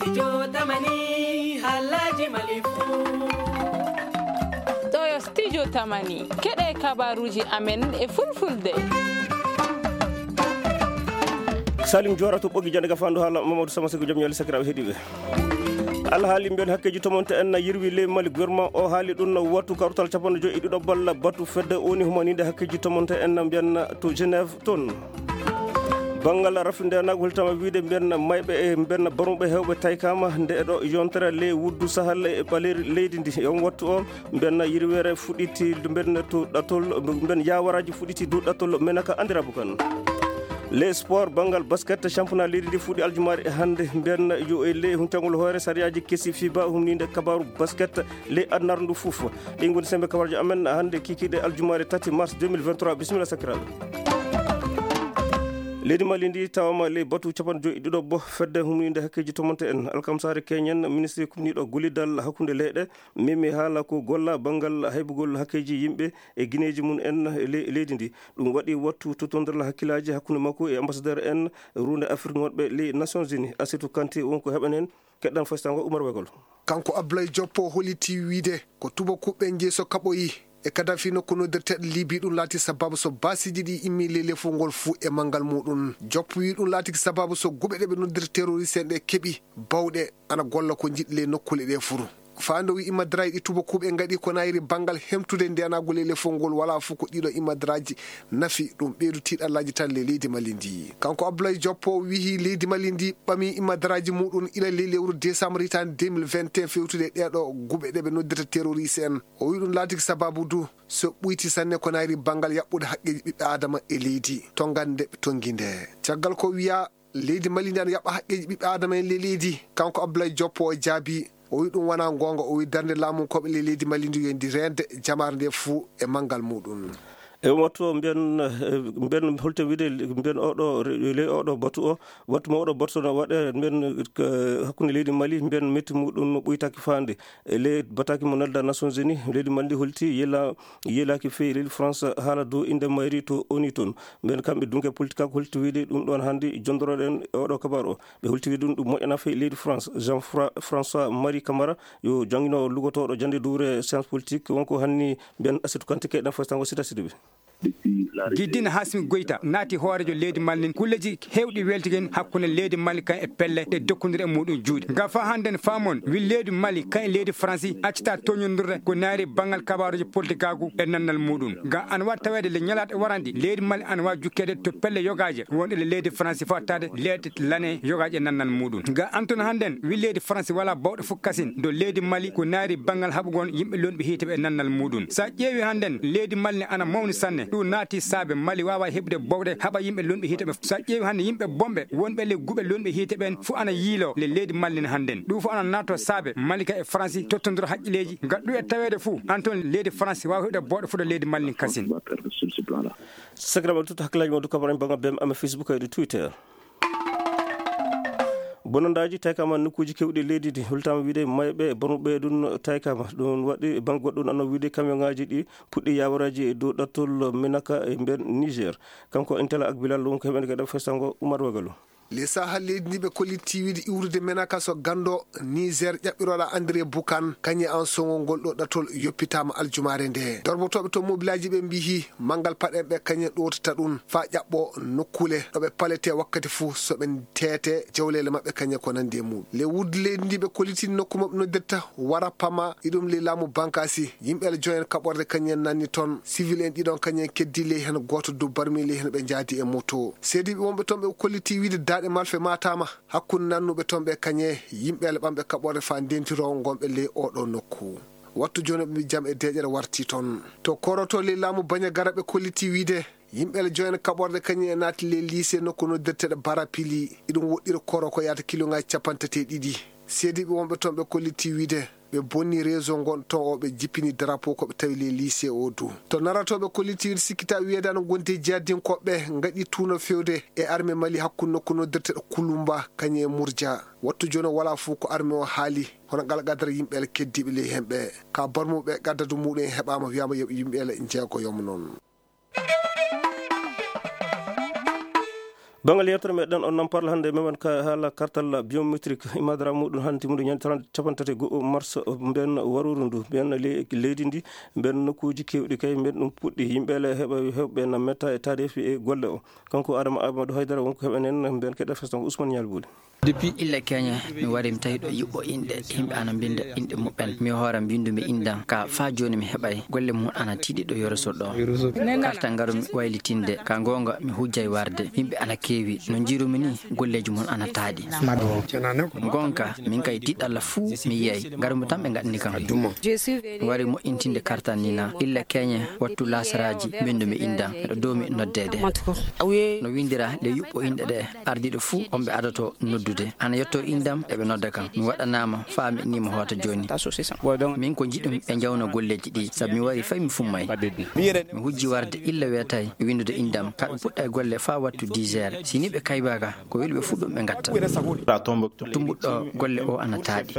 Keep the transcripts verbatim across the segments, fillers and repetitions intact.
Studio Tamani, halaji Mali fou. Toyo Studio Tamani, keɗe kabaruji amen e fulfulde. Salim Jora to ɓogi jande gafandu hala Mamadou Sama Sego, jom ñaali sakiraɓe heɗiɓe. Alhaali mbiyen hakkeji tomonte en na yirwi ley Mali. Gouvernement o haali ɗum no wattu kartal capanɗe joyi e ɗiɗo balla batu fedde woni humaninde hakkeji tomonte en na mbiyen to Genève toon. Banngal rafi ndenagu holtama wiide mbiyen mayɓe e mbiyen barmuɓe hewɓe taykama nde ɗo yontere ley wuddu sahal e ɓaleri leydi ndi. E on wattu o mbiyen yirwere fuɗɗiti mbiyen to ɗatol, mbiyen yawaraji fuɗɗiti dow ɗatol menaka andirabu kan. Les sport, banngal basket, championnat leydi ndi fuɗɗi aljumari e hannde. Mbiyen yo e ley huncangol hoore sariyaji kesi fiba humninde kabaru basket ley adnar ndu fof. Ɗin ngoni sembe kabarjo amen hannde kikiɗe aljumari tati mars deux mille vingt-trois. Bisimilla sakiraɓe. Leydi Mali ndi tawama ley batu capanɗe joyi e ɗiɗo bo fedde humninde hakkeji tomonte en. Alkamsare keñen ministre kumniɗo gollidal hakkunde leyɗe memi haala ko golla banngal haybugol hakkeji yimɓe e gineeji mum en e le-, leydi ndi. Ɗum waɗi wattu totondral hakkillaaji hakkunde makko e ambassadeur en runde Afrique wonɓe les Nations Unies. Asetu Kanté wonko heɓanen keɗɗan fastango Umar Wegol. Kanko Ablaye Joppo holiti wiide ko tubakuɓe jeyi so kaɓoyi e Kadafi nokku noddirteɗo Libi, ɗum laati sababu so baasiiji ɗi immi ley lefol ngol fuu e manngal muɗum. Joppo wi ɗum laatiki sababu so guɓe ɗe ɓe noddirta terroriste en ɗe keɓi bawɗe ana golla ko njiɗi ley nokkuule ɗe fuu. Faando wi imadraji ɗi tubakuɓe ngaɗi ko nayri banngal hemtude ndenaagu ley lefol ngol, wala fof ko ɗiɗo imadraji nafi, ɗum ɓeydu tiiɗallaaji tan ley leydi Mali ndi. Kanko Abdoulaye Joppo wiyi leydi Mali ndi ɓami imadraji muɗum ila ley lewru décembre hitaande deux mille vingt et un fewtude e ɗeɗo guɓe ɗe ɓe noddirta terroriste en. O wi ɗum laatiki sababu du so ɓuyti sanne ko nayri banngal yaɓɓude haqqeeji ɓiɓɓe Adama e leydi, tongande ɓe tongi nde. Caggal ko wiya leydi Mali ndi ana yaɓɓa haqqeeji ɓiɓɓe Adama en ley leydi, kanko Abdoulaye Joppo o jaabi, o wi ɗum wona goonga, o wi darnde laamunkooɓe ley leydi Mali ndi yo ndi reende jamaare nde fuu e manngal muɗum. E on wattu o mbiyen, eh, mbiyen holto wiide, mbiyen oɗo re-, ley oɗo batu o, wattu mo oɗo batu so no waɗe, mbiyen, eh, hakkunde leydi Mali, mbiyen metti muɗum no ɓuytaki faande. E ley bataki mo nelda Nations Unies, leydi Mali ndi holti yela-, yelaki feyi leydi France haala dow inde mayri to ONU toon. Mbiyen kamɓe dunke politique ko holti wiide ɗum ɗon hannde jondoroɗen e oɗo kabar o. Ɓe holti wiide ɗum ɗum moƴƴana feyi leydi France. Jean Fra-, François Marie Camara yo janngino lugotooɗo jannde duure science politique wonko hanni mbiyen Asetu Kanté keɗen fastango sita sidiɓe. Giddin Hasmi Goïta naati hooreejo leydi Mali nin kulleji heewɗi weltigen hakkunde leydi Mali kan e pelle ɗe dokkondiri e muɗum juuɗe. Nga fa hannden faamon wi leydi Mali kan e leydi Faransi accita toñondirde ko naari banngal kabaaruji politikaagu e nannal muɗum. Nga an wa taweede le ñalaaɗe waranɗi leydi Mali an wa jukkeede to pelle yogaaje wonɗe le leydi Faransi fa taade leeɗe lane yogaaje e nannal muɗum. Nga Antoine hannden wi leydi Faransi wala bawɗe fof kasin do leydi Mali ko naari banngal haɓugol yimɓe lonɓe hiite ɓe e nannal muɗum. Sa ƴeewi hannden leydi Mali ne ana mawni sanne. Ɗum naati saabe Mali waawa heɓude bawɗe haɓa yimɓe lonɓe hiite ɓe. Sa ƴeewi hannde yimɓe bonɓe wonɓe le guɓe lonɓe hiite ɓen fof ana yiilo le leydi Mali ne hannden. Ɗum fof ana naato saabe Mali ka e Faransi tottondiro haqqilleeji. Ngal ɗum e taweede fof Antoine leydi Faransi waawa heɓude bawɗe fof to leydi Mali ne kasin. Sakiraɓe, tutta hakkillaji mon du kabarin banga bem ama Facebook e du Twitter. Bonondaaji taykama nokkuuji keewɗi leydi ndi, holtaama wiide mayɓe bonɓe ɗum taykama. Ɗum waɗi bannge goɗɗo ɗum anno wiide kamiyonŋaaji ɗi puɗɗi yaawaraji e dow ɗattol Menaka e nder Niger. Kanko Intela ak Bilal wonko heɓen gaɗa fesango Umar Wagalo. Le Sahel leydi ndi ɓe kollitti wiide iwrude Menaka so ganndo Niger ƴaɓɓirooɗo André Bukan, kañe an songol ngol ɗo ɗattol yoppitaama aljumaare nde. Dorbotooɓe to mobilaaji ɓe mbiyi manngal paɗen ɓe kañe ɗootata ɗum faa ƴaɓɓo nokkuule ɗo ɓe palete wakkati fuu so ɓe teete jawleele maɓɓe kañe ko nanndi e muɗum. Le wuddu leydi ndi ɓe kolliti nokku maɓɓe noddirta Wara Pama, iɗum ley laamu Bankasi. Yimɓe le joyen kaɓorde kañen nanni toon. Sivil en ɗiɗon kañen keddi ley heen gooto du barmi ley heen ɓe njaadi e moto. Seediiɓe wonɓe toon ɓe kolliti wiide daaɗe malfe maataama hakkunde nannuɓe toon ɓe kañe yimɓe le ɓamɓe kaɓorde faa ndentiroo ngonɓe ley oo ɗoo nokku. Wattu jooni ɓe mbii jam e deeƴere warti toon. To Koroto ley laamu Bañagara ɓe kolliti wiide yimɓe le joyen kaɓorde kañum e naati ley lycée nokku noddirteɗo Barapili. Iɗum woɗɗira Koro ko yaata kiloŋaaji capanɗe tati e ɗiɗi. Seediiɓe wonɓe toon ɓe kolliti wiide ɓe bonni réseau ngon toon o ɓe jippini drapeau ko ɓe tawi ley lycée o du. To Narato ɓe kolliti wiide sikkita wiyeede ana ngondi jihadinkooɓe ngaɗi tuuno fewde e armée Mali hakkunde nokku noddirteɗo Kulumba kañum e Murja. Wattu jooni o wala fof ko armée o haali. Hono ngal qadara yimɓe le keddiiɓe ley heen ɓe ka barmuɓe qaddadu muɗum en heɓaama wiyaama yo yimɓe le njeego yomo noon. Banngal yewtere meɗen on nan parla hannde, memen ka haala kartal biométrique, imadara muɗum hannde muɗum ñande trente, capanɗe tati e go'o mars, mbiyen waruru ndu, mbiyen le-, leydi ndi, mbiyen nokkuuji keewɗi kay, mbiyen ɗum puɗɗi, yimɓe le heɓa, heɓɓe na metta e taarifi e golle o. Kanko Adama Amadou Haydara wonko heɓen en, mbiyen keɗa festan ko Ousmane Ñal Buuli. Depuis illa keñe, mi wari mi tawi ɗo yiɓɓo inɗe, yimɓe ana mbinda inɗe muɓɓen. Mi hoore mbindu mi indan, ka fa jooni mi heɓay golle mum ana tiiɗi ɗo Yorosol ɗo. Karta ngaru mi waylitinde, ka goonga mi hujjay warde. Yimɓe ana keewi, no njiirumi ni, golleeji mum ana taaɗi. Goonga, min kay tiiɗalla fuu mi yiyay, ngaru mi tan ɓe ngaɗani kam. Mi wari moƴƴintinde karta ni na, illa keñe, wattu laasaraaji, mbindu mi indan, miɗo doomi noddeede. No windira le yiɓɓo inɗe ɗe, ardiiɗo fuu on ɓe adoto noddude. Ana yetto indam, eɓe nodda kam. Mi waɗanaama, faa mi innimo hoota jooni. Min ko njiɗum ɓe njawna golleeji ɗi, sabu mi wari fay mi fummay. Mi hujji warde illa weetay, mi windude indam, ka ɓe puɗɗa e golle faa wattu dix heures. Si ni ɓe kaybaaka, ko weli ɓe fuu ɗum ɓe ngatta. Tumbuɗɗo golle o ana taaɗi.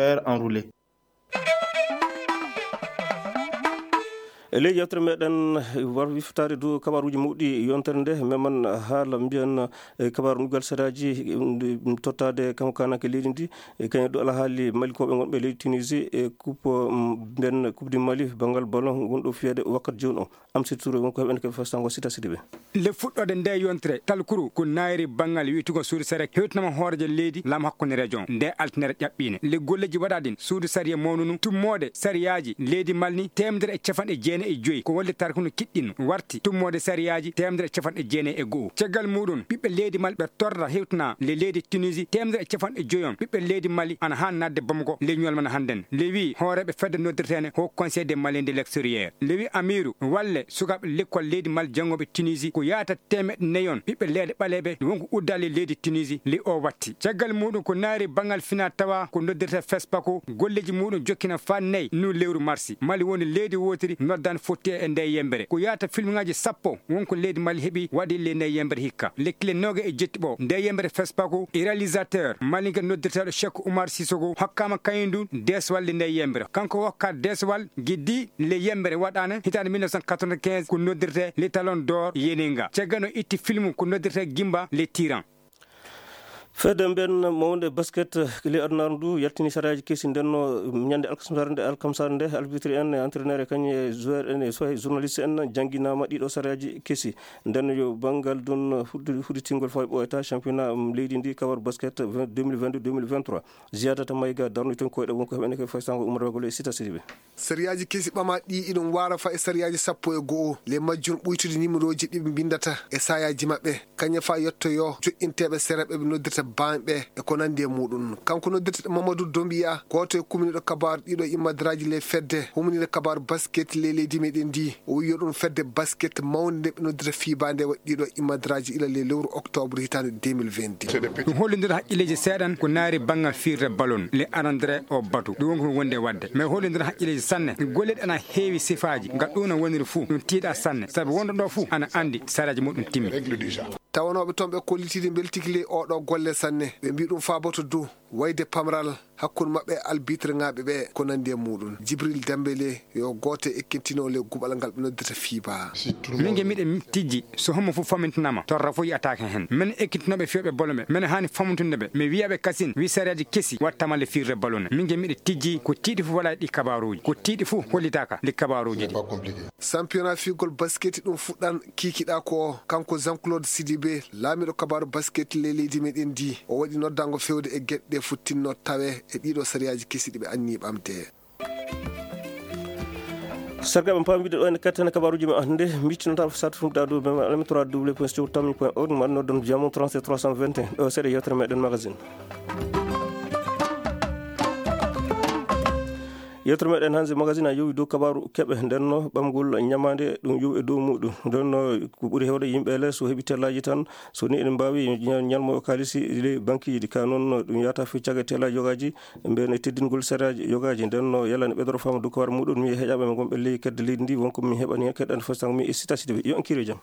E ley yewtere meɗen, war wiftaade dow kabaruuji mawɗi yontere nde, memen haala mbiyen, e, kabaaru ndugal saraaji, um, tottaade kanko kaananke leydi ndi, e, kañum ɗo alhaali malikooɓe wonɓe leydi Tunisie e coupe, um, mbiyen Coupe du Mali, banngal ballon ngonɗo fiyeede wakkat jooni o. Amsi Touré wonko heɓen ko fastango Sita Sidibe. Le fuɗɗoode nde yontere, talkuru ko naayri banngal wi'tugo suudu sariya hewtinama hooreejo leydi, laam hakkunde région, nde altine ƴaɓɓiinde. Le golleeji waɗaaɗi ɗin, suudu sariya mawnunu tummoode sariyaaji leydi Mali ni, teemedere e capanɗe jeenayi e joyi, ko wallitaare kono kiɗɗinno, warti tummoode sariyaaji teemedere e capanɗe jeenayi e go'o. Caggal muɗum, ɓiɓɓe leydi Mali ɓe torra hewtina le leydi Tunisie, teemedere e capanɗe joyi on. Ɓiɓɓe leydi Mali ana haa naatde Bamako, le ñuwal man hannden. Le wi hooreeɓe fedde noddirteene Haut Conseil des Maliens de l'extérieur. Le wi Amiru, walle sukaaɓe lekkol leydi Mali janngooɓe Tunisie ko yaata teemeɗɗe nayi on ɓiɓɓe leyɗe ɓaleeɓe wonko uddaali leydi Tunisie, li o watti. Caggal muɗum ko naari banngal fina tawa ko noddirta FESPACO, golleeji muɗum jokkina faa nayi nu lewru marsi. Mali woni leydi wootiri noddan fotti e nde yembere. Ko yaata filmŋaaji sappo wonko leydi Mali heɓi waɗi le nde yembere hikka. Lekkile nooga e jetti ɓo nde yembere FESPACO e réalisateur malinke noddirteeɗo Cheikh Oumar Sissoko hokkaama kañum ndu deeswal le nde yembere. Kanko hokka deeswal giddi le yembere waɗaane hitaande mille neuf cent quatre-vingt-quinze ko noddirte le Talon d'Or Yeninga. Caggal no itti film ko noddirte Gimba le Tyran. Fedde mben mawnde basket le adunaaru ndu yaltini saraaji kesi ndenno ñande alkamsare nde, alkamsare nde, arbitre en e entraîneur e kañum e joueur en e sohe journaliste en jannginaama ɗiɗo saraaji kesi. Nden yo banngal ɗum huddu-, hudditingol fawɓe ɓooyata championnat, um, leydi ndi kawar basket vingt, deux mille vingt-deux, deux mille vingt-trois. Ziyadata Mayga darnuɗo toon koyɗe wonko heɓene ko faysangol ummotoogol e Sita Sidibe. Sariyaaji kesi ɓamaaɗi ɗi iɗum waara fa e sariyaaji sappo e go'o, le majjum ɓuytude nimerooji ɗi ɓe mbinndata e saayaaji maɓɓe, kañum fa yettoyoo joƴƴinteeɓe sera ɓe ɓe noddirta baanɓe e ko nanndi e muɗum. Kanko noddirteeɗo Mamadou Dombiya, gooto e kumniiɗo kabaaru ɗiɗo immadraaji le fedde humniiɗo kabaaru basket le leydi meɗen ndi, o wiyo ɗum fedde basket mawnde nde ɓe noddirta fiiba nde waɗi ɗiɗo immadraaji ila le lewru octobre hitaande deux mille vingt-deux. Ɗum hollindira haqqilleeji seeɗan ko naari banngal fiirde ballon le arandere o batu. Ɗum wonko ɗum wondi e waɗde. Mais hollindira haqqilleeji sanne. Golle ɗe ana heewi sifaaji. Ngal ɗum no woniri fuu. Ɗum tiiɗa sanne. Sabu wonɗo ɗo fuu ana anndi saraaji muɗum timmi. Tawanooɓe toon ɓe kollitiiɗi mbeltigi ley oɗo golle sanne. Ɓe mbii ɗum faaboto dow wayde pamral hakkunde maɓɓe e albitre ŋaaɓe ɓe ko nanndi e muɗum. Jibril Dembele yo gooto e ekkintinooɓe le guɓal ngal ɓe noddirta fiiba. Min ge miɗen tijji so hommo fof famintinama torra fof yiyataake heen. Men ekkintinooɓe fiyooɓe ballon ɓe, men haani famintude ɓe. Mi wiya ɓe kasin, wi sariyaaji kesi wattama le fiirde ballon. Min ge miɗen tijji ko tiiɗi fof waɗa ɗi kabaaruuji. Ko tiiɗi fof hollitaaka ɗi kabaaruuji ɗi. Championnat fiigol basket ɗum fuɗɗan kiikiɗa ko o. Kanko Jean-Claude Sidibé, laamiiɗo kabaaru basket le leydi meɗen ndi, o waɗi noddango fewde e geɗe ɗe futtinno tawe e ɗiɗo sariyaaji kesi ɗi ɓe anni ɓamde. Sarga ɓe paami wiide ɗo ene kattana kabaaruuji men hannde, miccinata ko sat fum ɗa dow men alami trois w point sewtammi point org, ma noddon jamo trente-sept trois cent vingt et un. Ɗo seeɗa yewtere meɗen magazine. Yewtere meɗen hannde magazine a yowi dow kabaaru keɓe ndenno ɓamgol ñamaande ɗum yowi e dow muɗum. Ndenno ko ɓuri hewde yimɓe le so heɓi tellaaji tan, so ni eɗen mbaawi ña-, ñalmo o kaalisi le banque ji ka noon ɗum yahata fi caga tellaaji yogaaji. Mbiyen e teddingol sariyaaji yogaaji, nden no yalani ɓeydoro faamu dow kawar muɗum, mi heƴaɓe ɓe ngonɓe ley kedde leydi ndi, wonko mi heɓani heen keɗɗande fof sang mi e Sita Sidibe. Yo en kiire jam.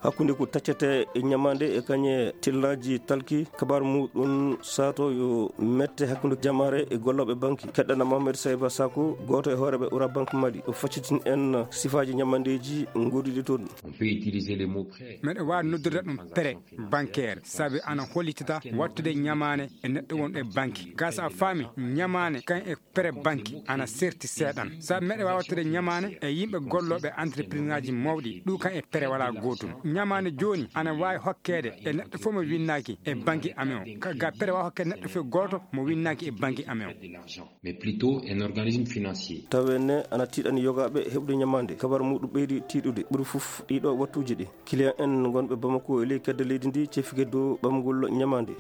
Hakkunde ko taccete e ñamaande e kañe tillaaji talki, kabaar muɗum sato yo mette hakkunde jamaare e gollooɓe banki. Keɗɗana Mohamed Sayba Sako, gooto e hooreeɓe Ura Bank Mali, o faccitin en sifaaji ñamaandeeji ngoduɗi toon. On peut utiliser le mot prêt. Meɗe waawi noddude ɗum prêt bancaire, sabi ana hollitita wattude ñamaane e neɗɗo wonɗo e banki. Gasa a faami, ñamaane kan e prêt banki ana serti seeɗan. Sabi meɗe waawi wattude ñamaane e yimɓe gollooɓe entreprise ŋaaji mawɗi, ɗum kan e prêt wala gootum. Ñamaane jooni ana waawi hokkeede e neɗɗo fof mo winnaaki e banki amen o. Ka, ga prêt waawi hokkeede neɗɗo fof gooto mo winnaaki e banki amen o. Mais plutôt un organisme financier. Tawi ne ana tiiɗani yogaaɓe heɓde ñamaande. Kabar muɗum ɓeydi tiiɗude. Ɓuri fof ɗiɗo wattuuji ɗi, client en ngonɓe Bamako e ley kedde leydi ndi cefike dow ɓamgol ñamaande.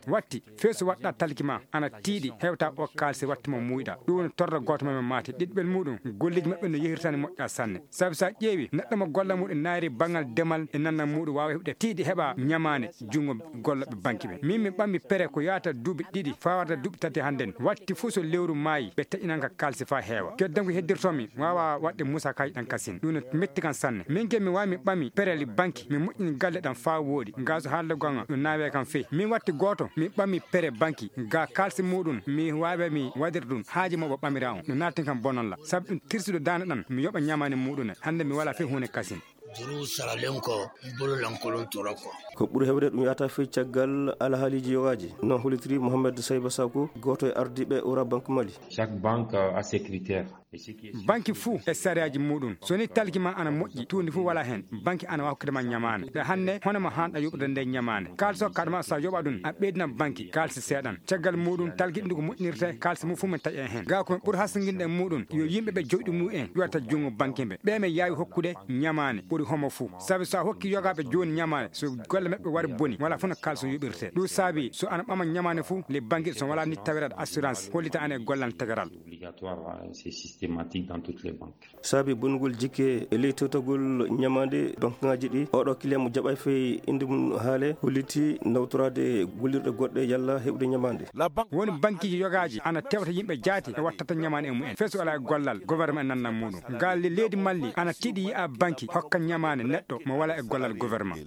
Watti, feesu waɗɗa talki ma ana tiiɗi, hewta o kaalisi watti mo muuyɗa. Ɗum woni torra gooto ma maate ɗiɗɓel muɗum, golleeji maɓɓe no yehirtani moƴƴa sanne. Sabi so a ƴeewi neɗɗo mo golla muɗum naayri banngal demal e nannal muɗum waawa heɓde tiiɗi heɓa ñamaande junngo gollooɓe banki ɓe. Min mi ɓammi prêt ko yahata duuɓi ɗiɗi faa warta duuɓi tati hannden. Watti fof so lewru maayi, ɓe taƴinan ka kaalisi faa heewa. Keddan ko heddirtoo mi, mi waawa waɗde musa kaaji ɗan kasin. Ɗum no metti kan sanne. Min ke mi waawi mi ɓami prêt li banki, mi moƴƴini galle ɗan faa wooɗi. Ngaaso haalde gonga, ɗum naawe kan fey. Min watti gooto, mi ɓami prêt banki. Ga kaalisi muɗum, mi waawi mi waɗir ɗum. Haaji mo ɓo ɓamira on. No naatin kan bonon la. Sabu ɗum tirsude daande ɗan, mi yoɓa ñamaani muɗum. Hannde mi wala fey huunde kasin. Juru saralen ko, bolo lankolon tora ko. Ko ɓuri heewde ɗum yahata fey caggal alhaaliiji yogaaji. No hollitiri Mohamed Sayba Sako, gooto e ardiiɓe Ura Bank Mali. Chaque banque a ses critères. Et ce qui est sûr, banki fuu e sariyaaji muɗum. So ni talki ma ana moƴƴi, tuundi fuu wala hen. Banki ana waawi hokkude ma ñamaane. Ɗa hannde, hono ma haanɗa yoɓude nde ñamaane. Kaalisi o kaɗa ma so a yoɓa ɗum, a ɓeydina banki kaalisi seeɗan. Caggal muɗum, talki ɗum ko moƴƴinirte, kaalisi mum fuu men taƴa hen. Ga ko men ɓuri hasinginde e muɗum, yo yimɓe ɓe jowɗi mumen ƴuwata junngo banki ɓe. Ɓe men yaawi hokkude ñamaane ɓuri homo fuu. Sabi so a hokki yogaaɓe jooni ñamaane, so golle maɓɓe wari boni, wala fof no kaalisi o yoɓirte. Ɗum saabi, so ana ɓama ñamaane fuu, le banki so wala ni tawiraɗo assurance, hollita ana e gollal tegeral. Obligatoire, hein, c'est systématique dans toutes les banques. Saabi bonugol jikke e ley tewtagol ñamaande bankuŋaaji ɗi, oɗo client mo jaɓay fey innde mum haale, holliti nawtoraade gollirɗe goɗɗe yalla heɓude ñamaande. Woni bankiiji yogaaji ana tewta yimɓe jaati e wattata ñamaande e mumen. Fey so alaa e gollal, gouvernement e nannal muɗum. Ngal le-, leydi Mali ana tiiɗi yi'a banki hokka ñamaande neɗɗo mo wala e gollal gouvernement.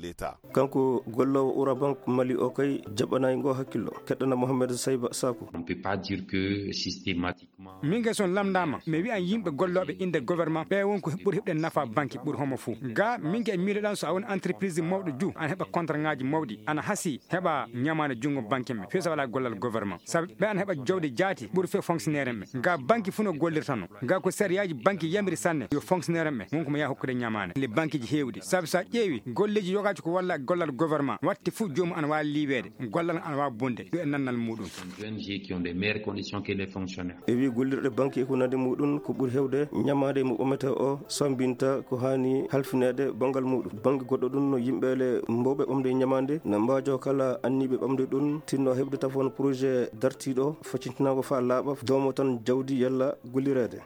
Kanko golloowo Ura Bank Mali o kay jaɓanaay ngo hakkillo. Keɗɗana Mohamed Sayba Sako. On peut pas dire que systématiquement. Min kay so on lamndaama, mi wi'an yimɓe gollooɓe innde gouvernement, ɓe won ko ɓuri heɓde nafa banki ɓuri homo fuu. Ga, min kay miiloɗan so a woni entreprise mawɗo ju, ana heɓa contrat ŋaaji mawɗi, ana hasi heɓa ñamaande junngo banki men, fey so wala gollal gouvernement. Sabu ɓe ana heɓa jawdi jaati ɓuri fey fonctionnaire en ɓe. Ga banki fuu no gollirta no. Ga ko sariyaaji banki yamiri sanne, yo fonctionnaire en ɓe, won ko mo yaha hokkude ñamaande. Le bankiiji heewɗi. Sabu so a ƴeewi, golleeji yogaaji ko walla gollal gouvernement, watti fuu joomum ana waawi liiweede, gollal ana waawi bonde, ɗum e nannal muɗum. Des O N G qui ont des meilleures conditions que les fonctionnaires. E wi gollirɗe banki e ko nandi muɗum, ko ɓuri heewde ñamaande mo ɓamete o sambinta ko haani halfineede banngal muɗum. Bannge goɗɗo ɗum no yimɓe le mbowɓe ɓamde ñamaande, na mbaajo kala anniiɓe ɓamde ɗum, tinno heɓde tafoon projet dartiiɗo, faccintinaango faa laaɓa, doomo tan jawdi yalla gollireede.